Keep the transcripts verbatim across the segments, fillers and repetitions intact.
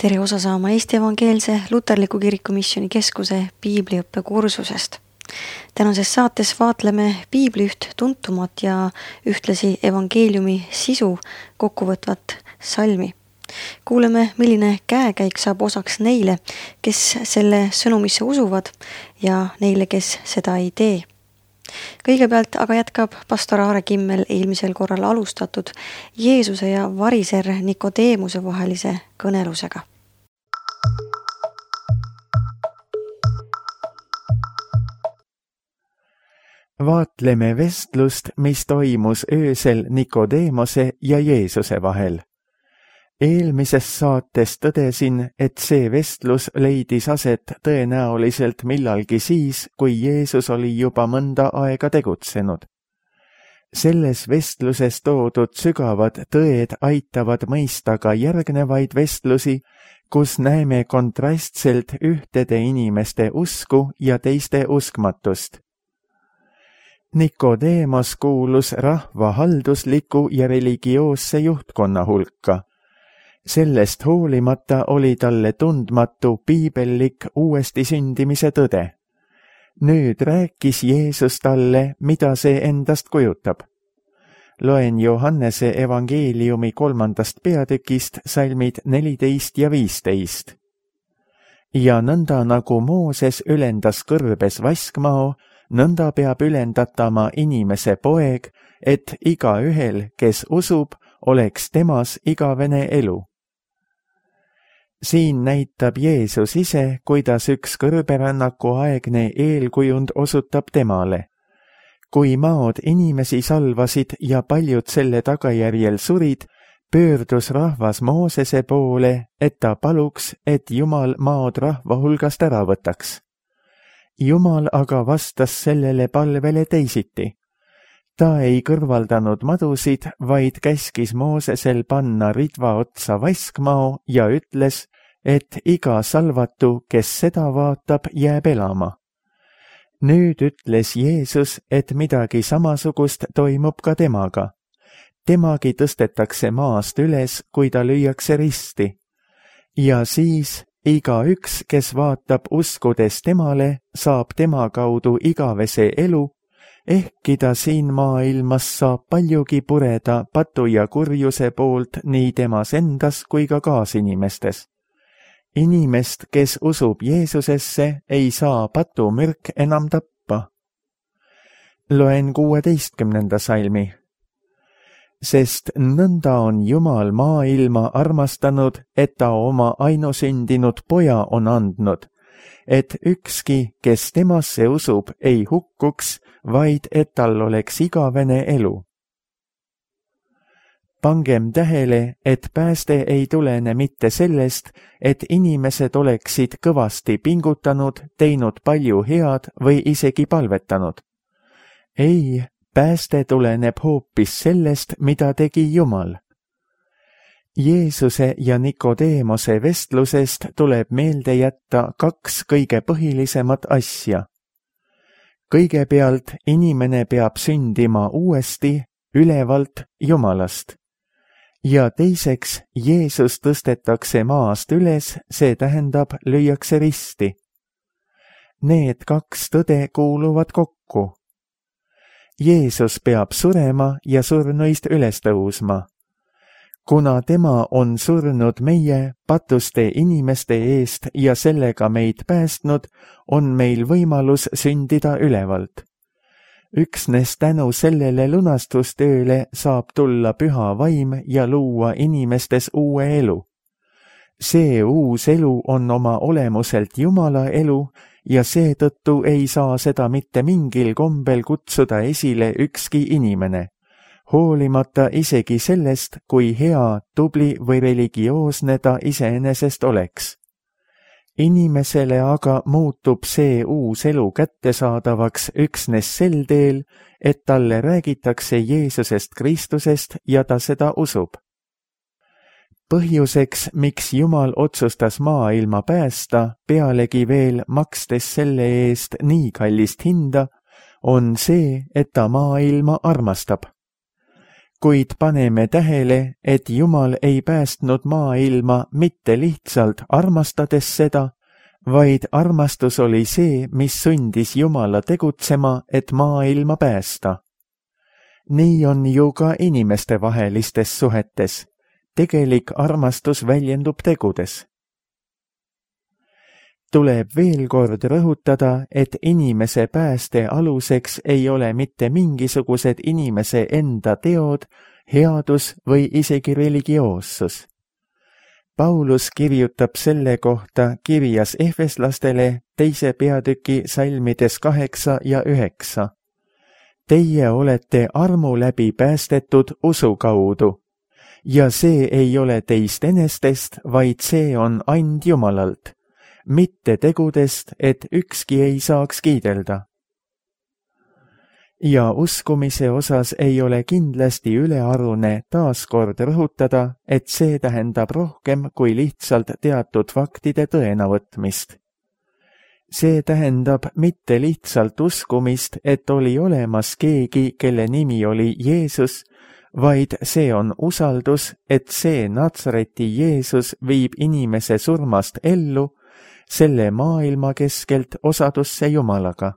tere osa saama Eesti Evangeelse Luterliku Kiriku Missiooni Keskuse piibliõppe kursusest. Tänases saates vaatleme piibli üht tuntumat ja ühtlasi evangeeliumi sisu kokkuvõtvat salmi. Kuuleme, milline käekäik saab osaks neile, kes selle sõnumisse usuvad ja neile, kes seda ei tee. Kõigepealt aga jätkab pastor Aare Kimmel eelmisel korral alustatud Jeesuse ja variser Nikodeemuse vahelise kõnelusega. Vaatleme vestlust, mis toimus öösel Nikodeemose ja Jeesuse vahel. Eelmises saates tõdesin, et see vestlus leidis aset tõenäoliselt millalgi siis, kui Jeesus oli juba mõnda aega tegutsenud. Selles vestluses toodud sügavad tõed aitavad mõista ka järgnevaid vestlusi, kus näeme kontrastselt ühtede inimeste usku ja teiste uskmatust. Nikodeemos kuulus rahva haldusliku ja religioosse juhtkonna hulka. Sellest hoolimata oli talle tundmatu piibellik uuesti sündimise tõde. Nüüd rääkis Jeesus talle, mida see endast kujutab. Loen Johannese evangeeliumi kolmandast peatükist salmid neliteist ja viisteist. Ja nõnda nagu Mooses ülendas kõrbes vaskmao, nõnda peab ülendatama inimese poeg, et igaühel, kes usub, oleks temas igavene elu. Siin näitab Jeesus ise, kuidas üks kõrberännaku aegne eelkujund osutab temale. Kui maod inimesi salvasid ja paljud selle tagajärjel surid, pöördus rahvas Moosese poole, et ta paluks, et Jumal maod rahva hulgast ära võtaks. Jumal aga vastas sellele palvele teisiti. Ta ei kõrvaldanud madusid, vaid käskis Moosesel panna ridva otsa vaskmao ja ütles, et iga salvatu, kes seda vaatab, jääb elama. Nüüd ütles Jeesus, et midagi samasugust toimub ka temaga. Temagi tõstetakse maast üles, kui ta lüüakse risti. Ja siis igaüks, kes vaatab uskudes temale, saab tema kaudu igavese elu, ehkki ta siin maailmas saab paljugi pureda patu ja kurjuse poolt nii temas endas kui ka kaasinimestes. Inimest, kes usub Jeesusesse, ei saa patumürk enam tappa. Loen kuueteistkümnenda salmi. Sest nõnda on Jumal maailma armastanud, et ta oma ainusündinud poja on andnud, et ükski, kes temasse usub, ei hukkuks, vaid et tal oleks igavene elu. Pangem tähele, et pääste ei tulene mitte sellest, et inimesed oleksid kõvasti pingutanud, teinud palju head või isegi palvetanud. Ei, pääste tuleneb hoopis sellest, mida tegi Jumal. Jeesuse ja Nikodeemose vestlusest tuleb meelde jätta kaks kõige põhilisemat asja. Kõigepealt inimene peab sündima uuesti, ülevalt Jumalast. Ja teiseks, Jeesus tõstetakse maast üles, see tähendab lüüakse risti. Need kaks tõde kuuluvad kokku. Jeesus peab surema ja surnuist üles tõusma. Kuna tema on surnud meie patuste inimeste eest ja sellega meid päästnud, on meil võimalus sündida ülevalt. Üksnes tänu sellele lunastustööle saab tulla püha vaim ja luua inimestes uue elu. See uus elu on oma olemuselt Jumala elu ja seetõttu ei saa seda mitte mingil kombel kutsuda esile ükski inimene, hoolimata isegi sellest, kui hea, tubli või religioosne ta iseenesest oleks. Inimesele aga muutub see uus elu kättesaadavaks üksnes sel teel, et talle räägitakse Jeesusest Kristusest ja ta seda usub. Põhjuseks, miks Jumal otsustas maailma päästa, pealegi veel makstes selle eest nii kallist hinda, on see, et ta maailma armastab. kuid paneme tähele, et Jumal ei päästnud maailma mitte lihtsalt armastades seda, vaid armastus oli see, mis sundis Jumala tegutsema, et maailma päästa. Nii on ju ka inimestevahelistes suhetes. Tegelik armastus väljendub tegudes. Tuleb veel kord rõhutada, et inimese pääste aluseks ei ole mitte mingisugused inimese enda teod, headus või isegi religioossus. Paulus kirjutab selle kohta kirjas Efeslastele teise peatüki salmides kaheksa ja üheksa. Teie olete armu läbi päästetud usu kaudu, ja see ei ole teist enestest, vaid see on and Jumalalt, mitte tegudest, et ükski ei saaks kiidelda. Ja uskumise osas ei ole kindlasti ülearune taaskord rõhutada, et see tähendab rohkem kui lihtsalt teatud faktide tõenavõtmist. See tähendab mitte lihtsalt uskumist, et oli olemas keegi, kelle nimi oli Jeesus, vaid see on usaldus, et see Natsareti Jeesus viib inimese surmast ellu, selle maailma keskelt osadusse Jumalaga.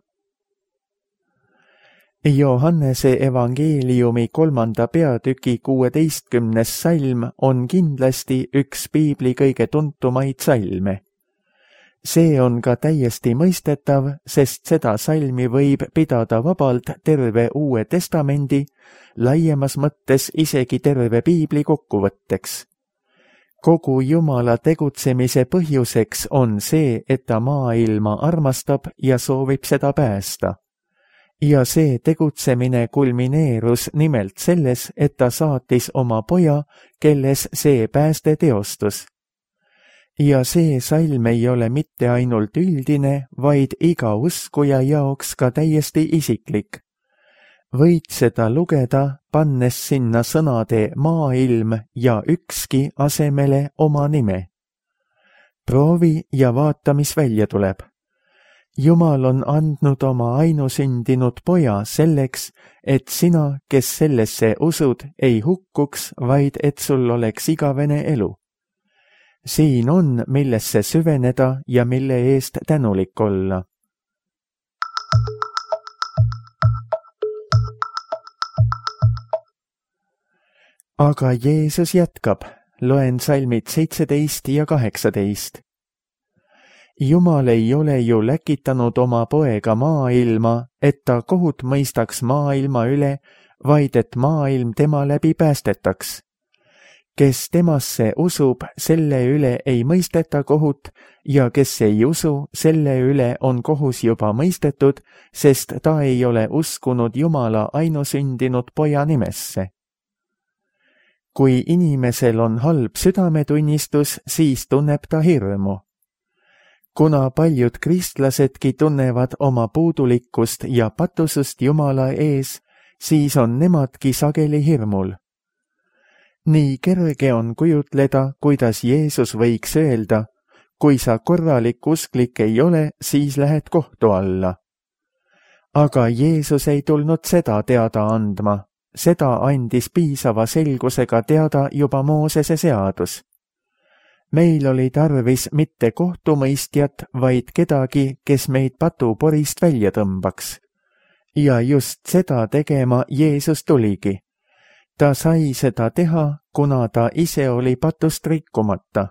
Johannese evangeeliumi kolmanda peatüki kuueteistkümnes salm on kindlasti üks piibli kõige tuntumaid salme. See on ka täiesti mõistetav, sest seda salmi võib pidada vabalt terve Uue Testamendi, laiemas mõttes isegi terve piibli kokkuvõtteks. Kogu Jumala tegutsemise põhjuseks on see, et ta maailma armastab ja soovib seda päästa. Ja see tegutsemine kulmineerus nimelt selles, et ta saatis oma poja, kelles see pääste teostus. Ja see salm ei ole mitte ainult üldine, vaid iga uskuja jaoks ka täiesti isiklik. Võid seda lugeda, pannes sinna sõnade maailm ja ükski asemele oma nime. Proovi ja vaata, mis välja tuleb. Jumal on andnud oma ainusündinud poja selleks, et sina, kes sellesse usud, ei hukkuks, vaid et sul oleks igavene elu. Siin on, millesse süveneda ja mille eest tänulik olla. Aga Jeesus jätkab, loen salmid seitseteist ja kaheksateist. Jumal ei ole ju läkitanud oma poega maailma, et ta kohut mõistaks maailma üle, vaid et maailm tema läbi päästetaks. Kes temasse usub, selle üle ei mõisteta kohut, ja kes ei usu, selle üle on kohus juba mõistetud, sest ta ei ole uskunud Jumala ainusündinud poja nimesse. Kui inimesel on halb südametunnistus, siis tunneb ta hirmu. Kuna paljud kristlasedki tunnevad oma puudulikkust ja patusust Jumala ees, siis on nemadki sageli hirmul. Nii kerge on kujutleda, kuidas Jeesus võiks öelda, kui sa korralik usklik ei ole, siis lähed kohtu alla. Aga Jeesus ei tulnud seda teada andma, seda andis piisava selgusega teada juba Moosese seadus. Meil oli tarvis mitte kohtumõistjat, vaid kedagi, kes meid patuporist välja tõmbaks. Ja just seda tegema Jeesus tuligi. Ta sai seda teha, kuna ta ise oli patust rikkumata.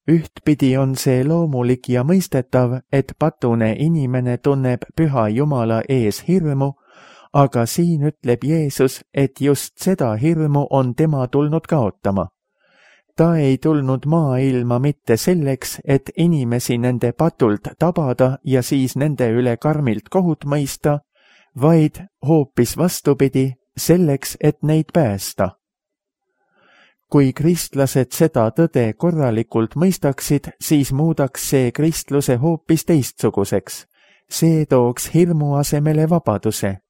Ühtpidi on see loomulik ja mõistetav, et patune inimene tunneb püha Jumala ees hirmu, aga siin ütleb Jeesus, et just seda hirmu on tema tulnud kaotama. Ta ei tulnud maailma mitte selleks, et inimesi nende patult tabada ja siis nende üle karmilt kohut mõista, vaid hoopis vastupidi, selleks, et neid päästa. Kui kristlased seda tõde korralikult mõistaksid, siis muudaks see kristluse hoopis teistsuguseks. See tooks hirmu asemele vabaduse.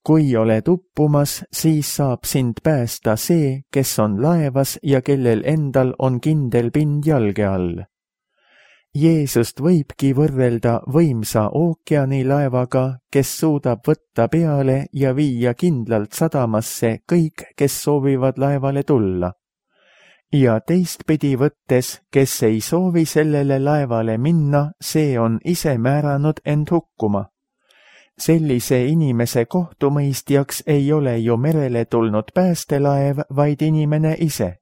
Kui oled uppumas, siis saab sind päästa see, kes on laevas ja kellel endal on kindel pind jalge all. Jeesust võibki võrrelda võimsa ookeanilaevaga, kes suudab võtta peale ja viia kindlalt sadamasse kõik, kes soovivad laevale tulla. Ja teistpidi võttes, kes ei soovi sellele laevale minna, see on ise määranud end hukkuma. Sellise inimese kohtumõistjaks ei ole ju merele tulnud päästelaev, vaid inimene ise.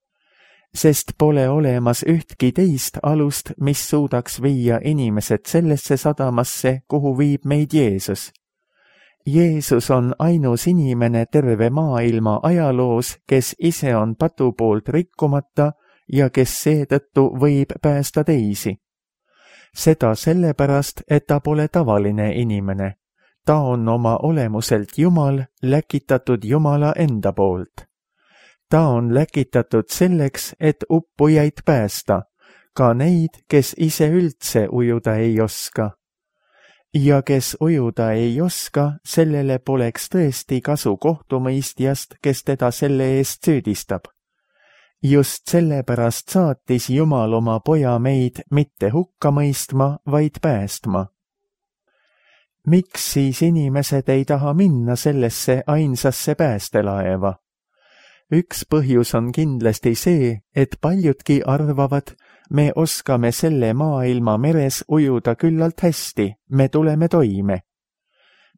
Sest pole olemas ühtki teist alust, mis suudaks viia inimesed sellesse sadamasse, kuhu viib meid Jeesus. Jeesus on ainus inimene terve maailma ajaloos, kes ise on patu poolt rikkumata ja kes seetõttu võib päästa teisi. Seda sellepärast, et ta pole tavaline inimene. Ta on oma olemuselt Jumal, läkitatud Jumala enda poolt. Ta on läkitatud selleks, et uppujaid päästa, ka neid, kes ise üldse ujuda ei oska. Ja kes ujuda ei oska, sellele poleks tõesti kasu kohtumõistjast, kes teda selle eest süüdistab. Just sellepärast saatis Jumal oma poja meid mitte hukka mõistma, vaid päästma. Miks siis inimesed ei taha minna sellesse ainsasse päästelaeva? Üks põhjus on kindlasti see, et paljudki arvavad, me oskame selle maailma meres ujuda küllalt hästi, me tuleme toime.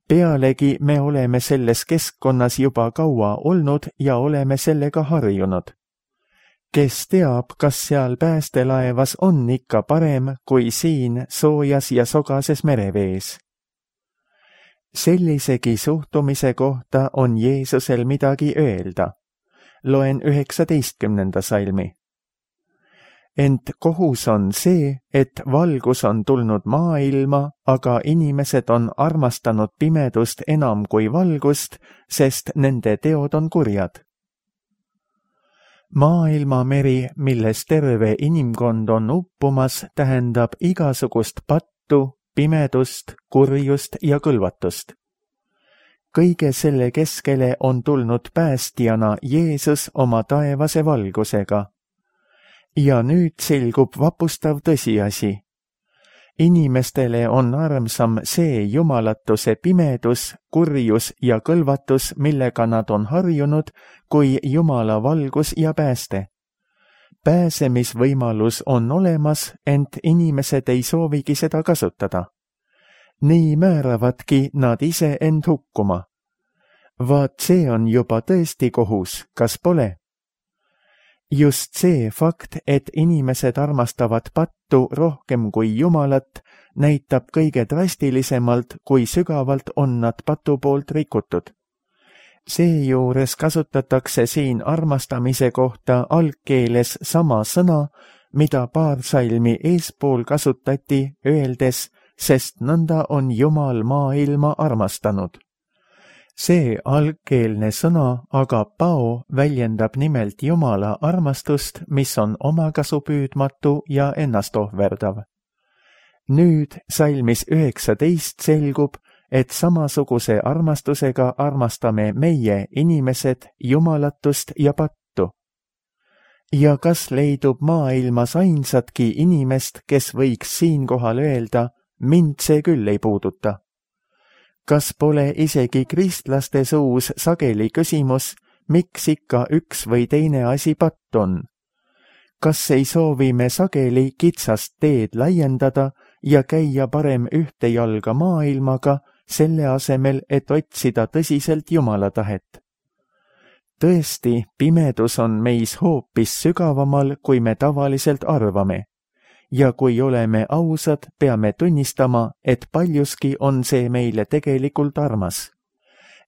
Pealegi me oleme selles keskkonnas juba kaua olnud ja oleme sellega harjunud. Kes teab, kas seal päästelaevas on ikka parem kui siin soojas ja sogases merevees? Sellisegi suhtumise kohta on Jeesusel midagi öelda. Loen üheksateistkümnenda salmi. Ent kohus on see, et valgus on tulnud maailma, aga inimesed on armastanud pimedust enam kui valgust, sest nende teod on kurjad. Maailmameri, milles terve inimkond on uppumas, tähendab igasugust pattu, pimedust, kurjust ja kõlvatust. Kõige selle keskele on tulnud päästjana Jeesus oma taevase valgusega. Ja nüüd selgub vapustav tõsiasi. Inimestele on armsam see jumalatuse pimedus, kurjus ja kõlvatus, millega nad on harjunud, kui Jumala valgus ja pääste. Pääsemisvõimalus on olemas, ent inimesed ei soovigi seda kasutada. Nii määravadki nad ise end hukkuma. Vaat see on juba tõesti kohus, kas pole? Just see fakt, et inimesed armastavad pattu rohkem kui Jumalat, näitab kõige drastilisemalt, kui sügavalt on nad patu poolt rikutud. Seejuures kasutatakse siin armastamise kohta algkeeles sama sõna, mida paar salmi eespool kasutati, öeldes, sest nõnda on Jumal maailma armastanud. See algkeelne sõna agapao väljendab nimelt Jumala armastust, mis on omakasupüüdmatu ja ennastohverdav. Nüüd salmis üheksateist selgub, et samasuguse armastusega armastame meie inimesed Jumalatust ja pattu. Ja kas leidub maailmas ainsatki inimest, kes võiks siinkohal öelda, mind see küll ei puuduta? Kas pole isegi kristlaste suus sageli küsimus, miks ikka üks või teine asi patt on? Kas ei soovi me sageli kitsast teed laiendada ja käia parem ühte jalga maailmaga, selle asemel, et otsida tõsiselt Jumala tahet? Tõesti, pimedus on meis hoopis sügavamal, kui me tavaliselt arvame. Ja kui oleme ausad, peame tunnistama, et paljuski on see meile tegelikult armas.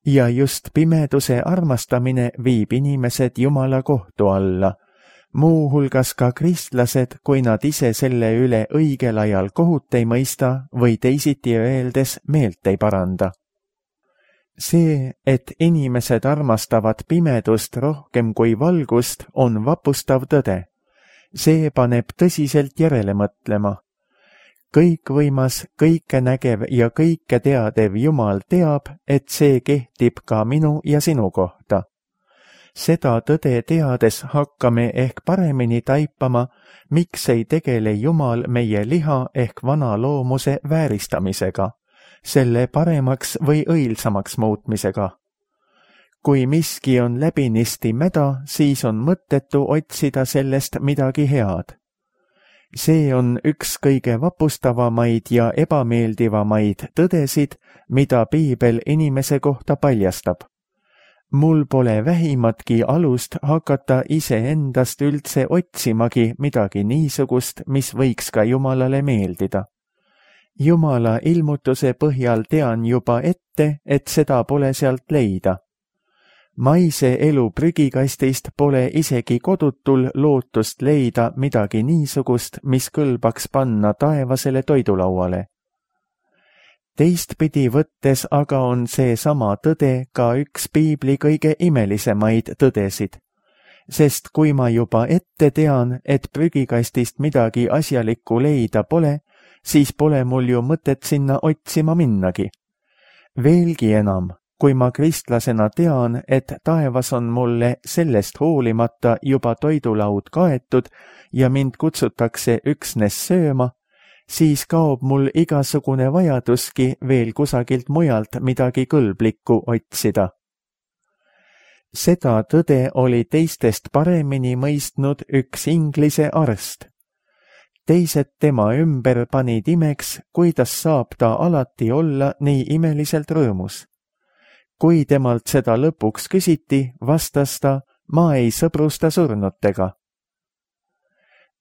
Ja just pimeduse armastamine viib inimesed Jumala kohtu alla, muuhulgas ka kristlased, kui nad ise selle üle õigel ajal kohut ei mõista või teisiti öeldes meelt ei paranda. See, et inimesed armastavad pimedust rohkem kui valgust, on vapustav tõde. See paneb tõsiselt järele mõtlema. Kõikvõimas, kõike nägev ja kõike teadev Jumal teab, et see kehtib ka minu ja sinu kohta. seda tõde teades hakkame ehk paremini taipama, miks ei tegele Jumal meie liha ehk vana loomuse vääristamisega, selle paremaks või õilsamaks muutmisega. Kui miski on läbinisti mäda, siis on mõttetu otsida sellest midagi head. See on üks kõige vapustavamaid ja ebameeldivamaid tõdesid, mida piibel inimese kohta paljastab. Mul pole vähimatki alust hakata iseendast üldse otsimagi midagi niisugust, mis võiks ka Jumalale meeldida. Jumala ilmutuse põhjal tean juba ette, et seda pole sealt leida. Maise elu prügikastist pole isegi kodutul lootust leida midagi niisugust, mis kõlbaks panna taevasele toidulauale. Teistpidi võttes aga on see sama tõde ka üks piibli kõige imelisemaid tõdesid, sest kui ma juba ette tean, et prügikastist midagi asjalikku leida pole, siis pole mul ju mõtet sinna otsima minnagi. Veelgi enam, kui ma kristlasena tean, et taevas on mulle sellest hoolimata juba toidulaud kaetud ja mind kutsutakse üksnes sööma, siis kaob mul igasugune vajaduski veel kusagilt mujalt midagi kõlblikku otsida. Seda tõde oli teistest paremini mõistnud üks Inglise arst. Teised tema ümber panid imeks, kuidas saab ta alati olla nii imeliselt rõõmus. Kui temalt seda lõpuks küsiti, vastas ta, ma ei sõbrusta surnutega.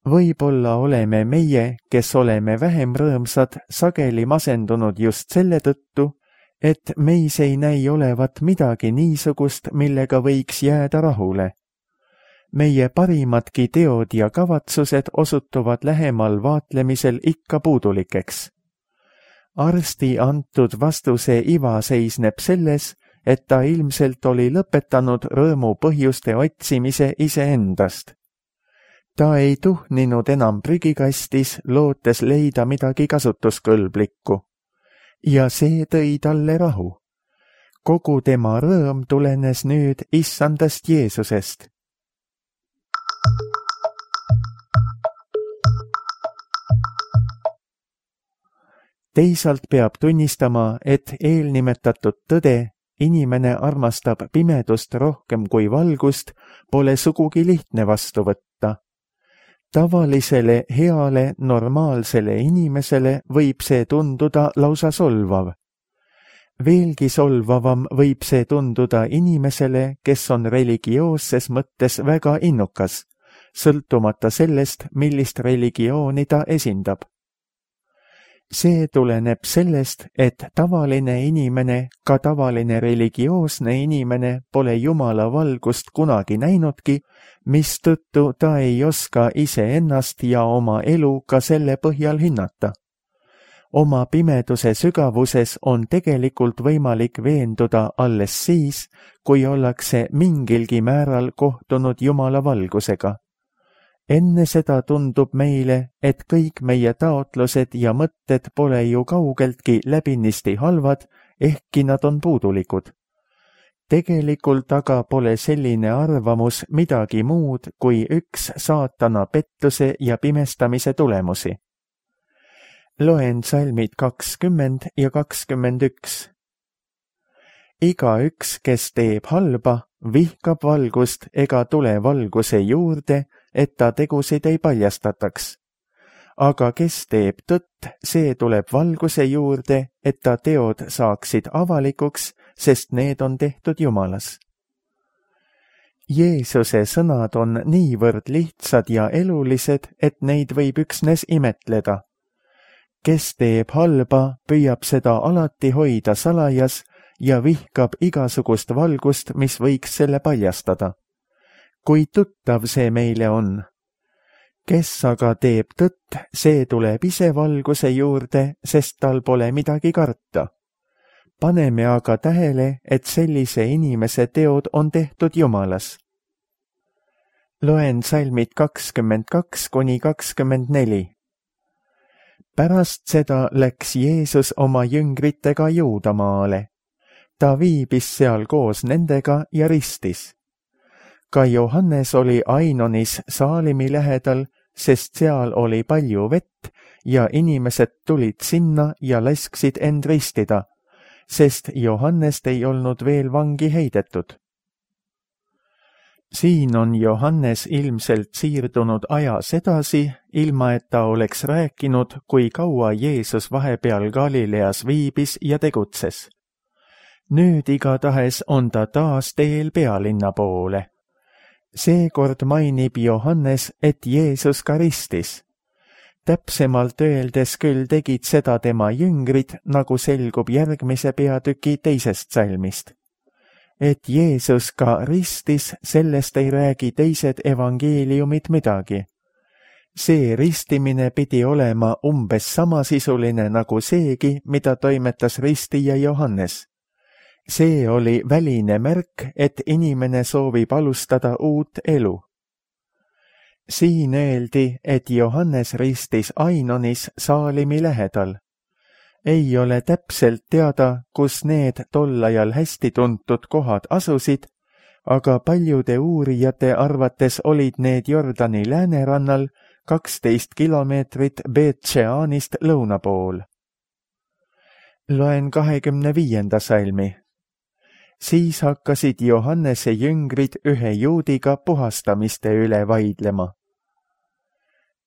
Võib-olla oleme meie, kes oleme vähem rõõmsad, sageli masendunud just selle tõttu, et meis ei näi olevat midagi niisugust, millega võiks jääda rahule. Meie parimadki teod ja kavatsused osutuvad lähemal vaatlemisel ikka puudulikeks. Arsti antud vastuse iva seisneb selles, et ta ilmselt oli lõpetanud rõõmu põhjuste otsimise iseendast. Ta ei tuhninud enam prügikastis, lootes leida midagi kasutuskõlblikku. Ja see tõi talle rahu. Kogu tema rõõm tulenes nüüd issandast Jeesusest. Teisalt peab tunnistama, et eelnimetatud tõde, inimene armastab pimedust rohkem kui valgust, pole sugugi lihtne vastu võtta. Tavalisele, heale, normaalsele inimesele võib see tunduda lausa solvav. Veelgi solvavam võib see tunduda inimesele, kes on religioosses mõttes väga innukas, sõltumata sellest, millist religiooni ta esindab. See tuleneb sellest, et tavaline inimene, ka tavaline religioosne inimene pole Jumala valgust kunagi näinudki, mistõttu ta ei oska iseennast ja oma elu ka selle põhjal hinnata. Oma pimeduse sügavuses on tegelikult võimalik veenduda alles siis, kui ollakse mingilgi määral kohtunud Jumala valgusega. Enne seda tundub meile, et kõik meie taotlused ja mõtted pole ju kaugeltki läbinisti halvad, ehkki nad on puudulikud. Tegelikult aga pole selline arvamus midagi muud kui üks saatana pettuse ja pimestamise tulemusi. Loen salmid kakskümmend ja kakskümmend üks. Igaüks, kes teeb halba, vihkab valgust ega tule valguse juurde, et ta tegusid ei paljastataks. Aga kes teeb tõtt, see tuleb valguse juurde, et ta teod saaksid avalikuks, sest need on tehtud Jumalas. Jeesuse sõnad on niivõrd lihtsad ja elulised, et neid võib üksnes imetleda. Kes teeb halba, püüab seda alati hoida salajas ja vihkab igasugust valgust, mis võiks selle paljastada. Kui tuttav see meile on. Kes aga teeb tõtt, see tuleb ise valguse juurde, sest tal pole midagi karta. Paneme aga tähele, et sellise inimese teod on tehtud Jumalas. Loen salmid kakskümmend kaks kuni kakskümmend neli. Pärast seda läks Jeesus oma jüngritega Juudamaale. Ta viibis seal koos nendega ja ristis. Ka Johannes oli Ainonis Saalimi lähedal, sest seal oli palju vett ja inimesed tulid sinna ja lasksid end ristida, sest Johannest ei olnud veel vangi heidetud. Siin on Johannes ilmselt siirdunud ajas edasi, ilma et ta oleks rääkinud, kui kaua Jeesus vahepeal Galileas viibis ja tegutses. Nüüd igatahes on ta taas teel pealinna poole. Seekord mainib Johannes, et Jeesus ka ristis. Täpsemalt öeldes küll tegid seda tema jüngrid, nagu selgub järgmise peatüki teisest salmist. Et Jeesus ka ristis, sellest ei räägi teised evangeeliumid midagi. See ristimine pidi olema umbes samasisuline nagu seegi, mida toimetas ristija Johannes. See oli väline märk, et inimene soovib alustada uut elu. Siin öeldi, et Johannes ristis Ainonis Saalimi lähedal. Ei ole täpselt teada, kus need tol ajal hästi tuntud kohad asusid, aga paljude uurijate arvates olid need Jordani läänerannal kaksteist kilomeetrit Beet-Šeanist lõuna pool. Loen kahekümne viienda salmi. Siis hakkasid Johannese jüngrid ühe juudiga puhastamiste üle vaidlema.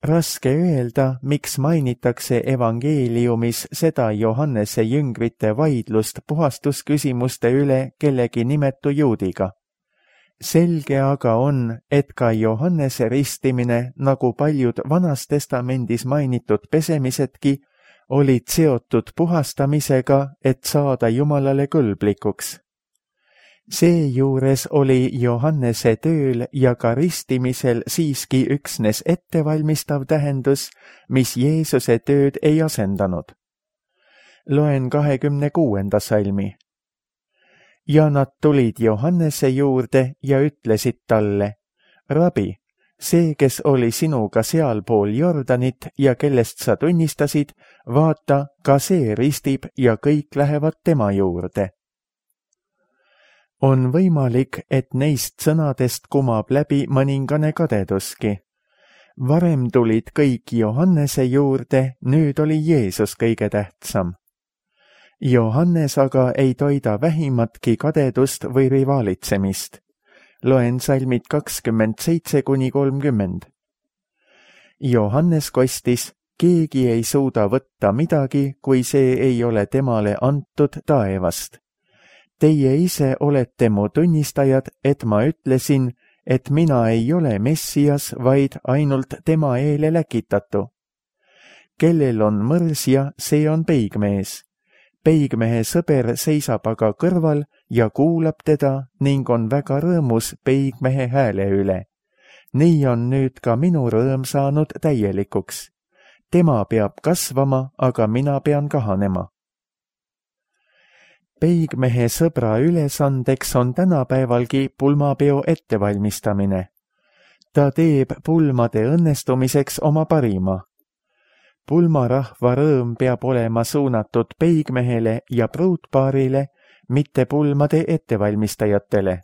Raske öelda, miks mainitakse evangeeliumis seda Johannese jüngrite vaidlust puhastusküsimuste üle kellegi nimetu juudiga. Selge aga on, et ka Johannese ristimine, nagu paljud Vanas Testamendis mainitud pesemisedki, olid seotud puhastamisega, et saada Jumalale kõlblikuks. Seejuures oli Johannese tööl ja ka ristimisel siiski üksnes ettevalmistav tähendus, mis Jeesuse tööd ei asendanud. Loen kahekümne kuuenda salmi. Ja nad tulid Johannese juurde ja ütlesid talle, Rabi, see, kes oli sinuga sealpool Jordanit ja kellest sa tunnistasid, vaata, ka see ristib ja kõik lähevad tema juurde. On võimalik, et neist sõnadest kumab läbi mõningane kadeduski. Varem tulid kõik Johannese juurde, nüüd oli Jeesus kõige tähtsam. Johannes aga ei toida vähimatki kadedust või rivaalitsemist. Loen salmid kakskümmend seitse kuni kolmkümmend. Johannes kostis, keegi ei suuda võtta midagi, kui see ei ole temale antud taevast. Teie ise olete mu tunnistajad, et ma ütlesin, et mina ei ole Messias, vaid ainult tema eele läkitatu. Kellel on mõrsja, see on peigmees. Peigmehe sõber seisab aga kõrval ja kuulab teda ning on väga rõõmus peigmehe hääle üle. Nii on nüüd ka minu rõõm saanud täielikuks. Tema peab kasvama, aga mina pean kahanema. Peigmehe sõbra ülesandeks on tänapäevalgi pulmapeo ettevalmistamine. Ta teeb pulmade õnnestumiseks oma parima. Pulmarahva rõõm peab olema suunatud peigmehele ja pruutpaarile, mitte pulmade ettevalmistajatele.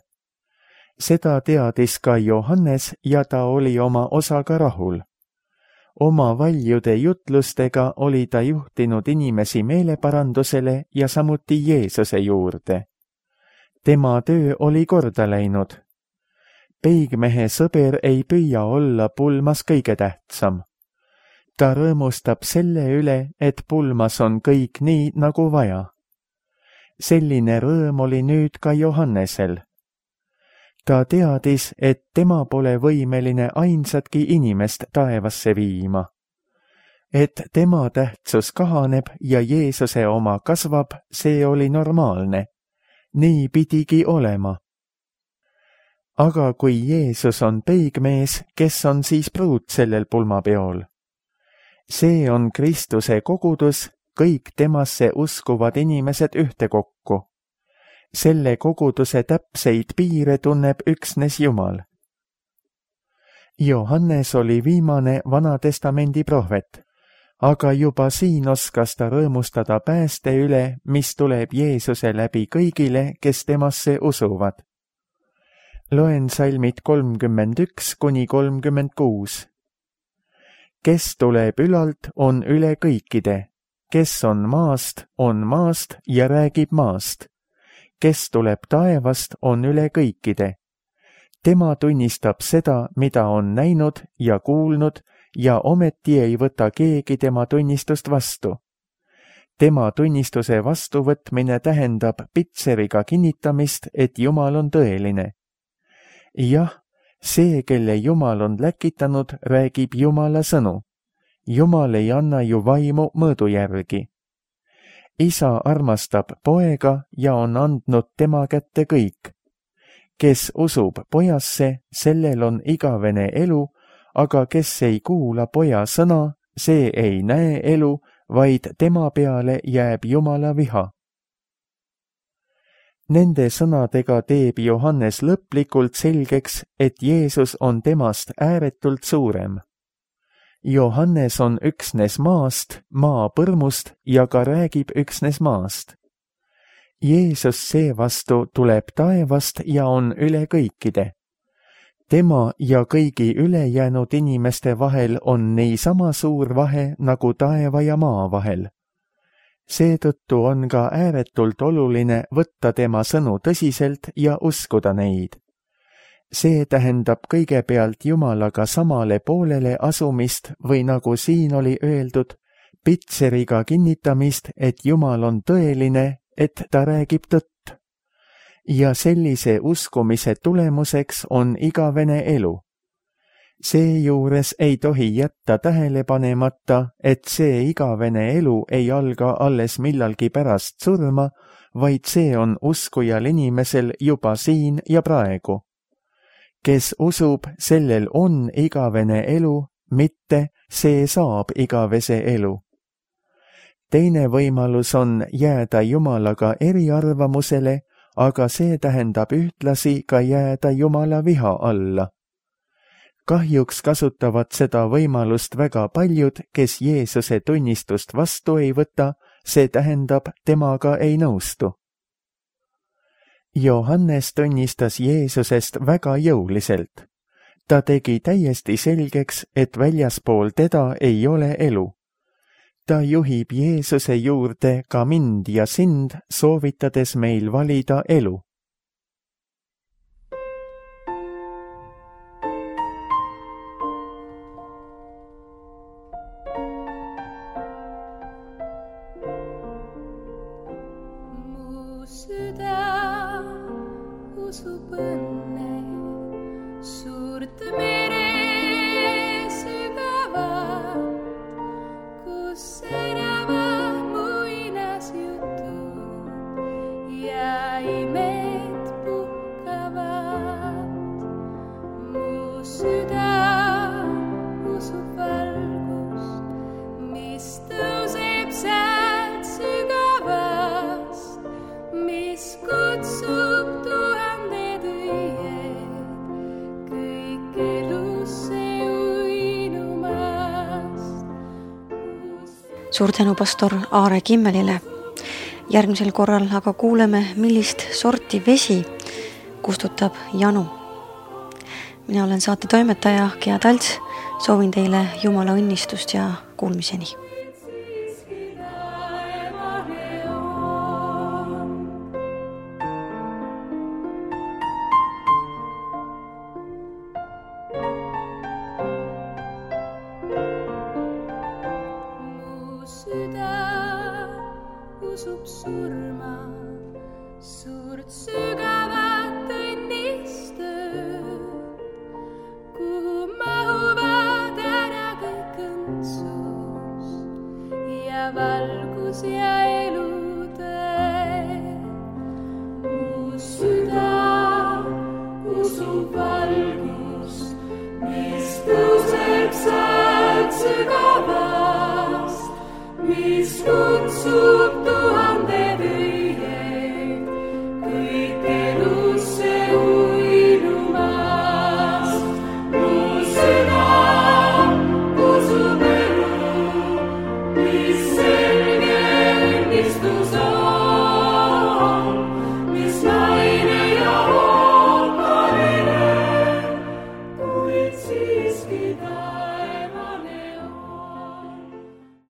Seda teadis ka Johannes ja ta oli oma osaga rahul. Oma valjude jutlustega oli ta juhtinud inimesi meeleparandusele ja samuti Jeesuse juurde. Tema töö oli korda läinud. Peigmehe sõber ei püüa olla pulmas kõige tähtsam. Ta rõõmustab selle üle, et pulmas on kõik nii, nagu vaja. Selline rõõm oli nüüd ka Johannesel. Ta teadis, et tema pole võimeline ainsatki inimest taevasse viima. Et tema tähtsus kahaneb ja Jeesuse oma kasvab, see oli normaalne. Nii pidigi olema. Aga kui Jeesus on peigmees, kes on siis pruut sellel pulmapeol? See on Kristuse kogudus, kõik temasse uskuvad inimesed ühtekokku. Selle koguduse täpseid piire tunneb üksnes Jumal. Johannes oli viimane Vanatestamendi prohvet, aga juba siin oskas ta rõõmustada pääste üle, mis tuleb Jeesuse läbi kõigile, kes temasse usuvad. Loen salmid kolmkümmend üks kuni kolmkümmend kuus. Kes tuleb ülalt, on üle kõikide. Kes on maast, on maast ja räägib maast. Kes tuleb taevast, on üle kõikide. Tema tunnistab seda, mida on näinud ja kuulnud, ja ometi ei võta keegi tema tunnistust vastu. Tema tunnistuse vastuvõtmine tähendab pitseriga kinnitamist, et Jumal on tõeline. Jah, see, kelle Jumal on läkitanud, räägib Jumala sõnu. Jumal ei anna ju vaimu mõõdu järgi. Isa armastab poega ja on andnud tema kätte kõik. Kes usub pojasse, sellel on igavene elu, aga kes ei kuula poja sõna, see ei näe elu, vaid tema peale jääb Jumala viha. Nende sõnadega teeb Johannes lõplikult selgeks, et Jeesus on temast ääretult suurem. Johannes on üksnes maast, maapõrmust ja ka räägib üksnes maast. Jeesus seevastu tuleb taevast ja on üle kõikide. Tema ja kõigi ülejäänud inimeste vahel on niisama suur vahe nagu taeva ja maa vahel. Seetõttu on ka ääretult oluline võtta tema sõnu tõsiselt ja uskuda neid. See tähendab kõigepealt Jumalaga samale poolele asumist või nagu siin oli öeldud, pitseriga kinnitamist, et Jumal on tõeline, et ta räägib tõtt. Ja sellise uskumise tulemuseks on igavene elu. Seejuures ei tohi jätta tähele panemata, et see igavene elu ei alga alles millalgi pärast surma, vaid see on uskujal inimesel juba siin ja praegu. Kes usub, sellel on igavene elu, mitte see saab igavese elu. Teine võimalus on jääda Jumalaga eriarvamusele, aga see tähendab ühtlasi ka jääda Jumala viha alla. Kahjuks kasutavad seda võimalust väga paljud, kes Jeesuse tunnistust vastu ei võta, see tähendab, temaga ei nõustu. Johannes tunnistas Jeesusest väga jõuliselt. Ta tegi täiesti selgeks, et väljaspool teda ei ole elu. Ta juhib Jeesuse juurde ka mind ja sind, soovitades meil valida elu. Mu süda usub õnne, suurt mere sügavat, kus säravad muinasjutud ja imed puhkavad. Mu süda usub valgust, mis tõuseb sealt sügavast, mis kutsub tuhanded õied kõik elusse uinumast. Suur tänu pastor Aare Kimmelile. Järgmisel korral aga kuuleme, millist sorti vesi kustutab janu. Mina olen saate toimetaja Gea Talts, soovin teile Jumala õnnistust ja kuulmiseni. Usub surma, suurt sügavat õnnistööd, kuhu mahuvad ära kõik õndsus ja valgus ja elutee. Mu süda usub valgust, mis tõuseb sealt sügavast, mis kutsub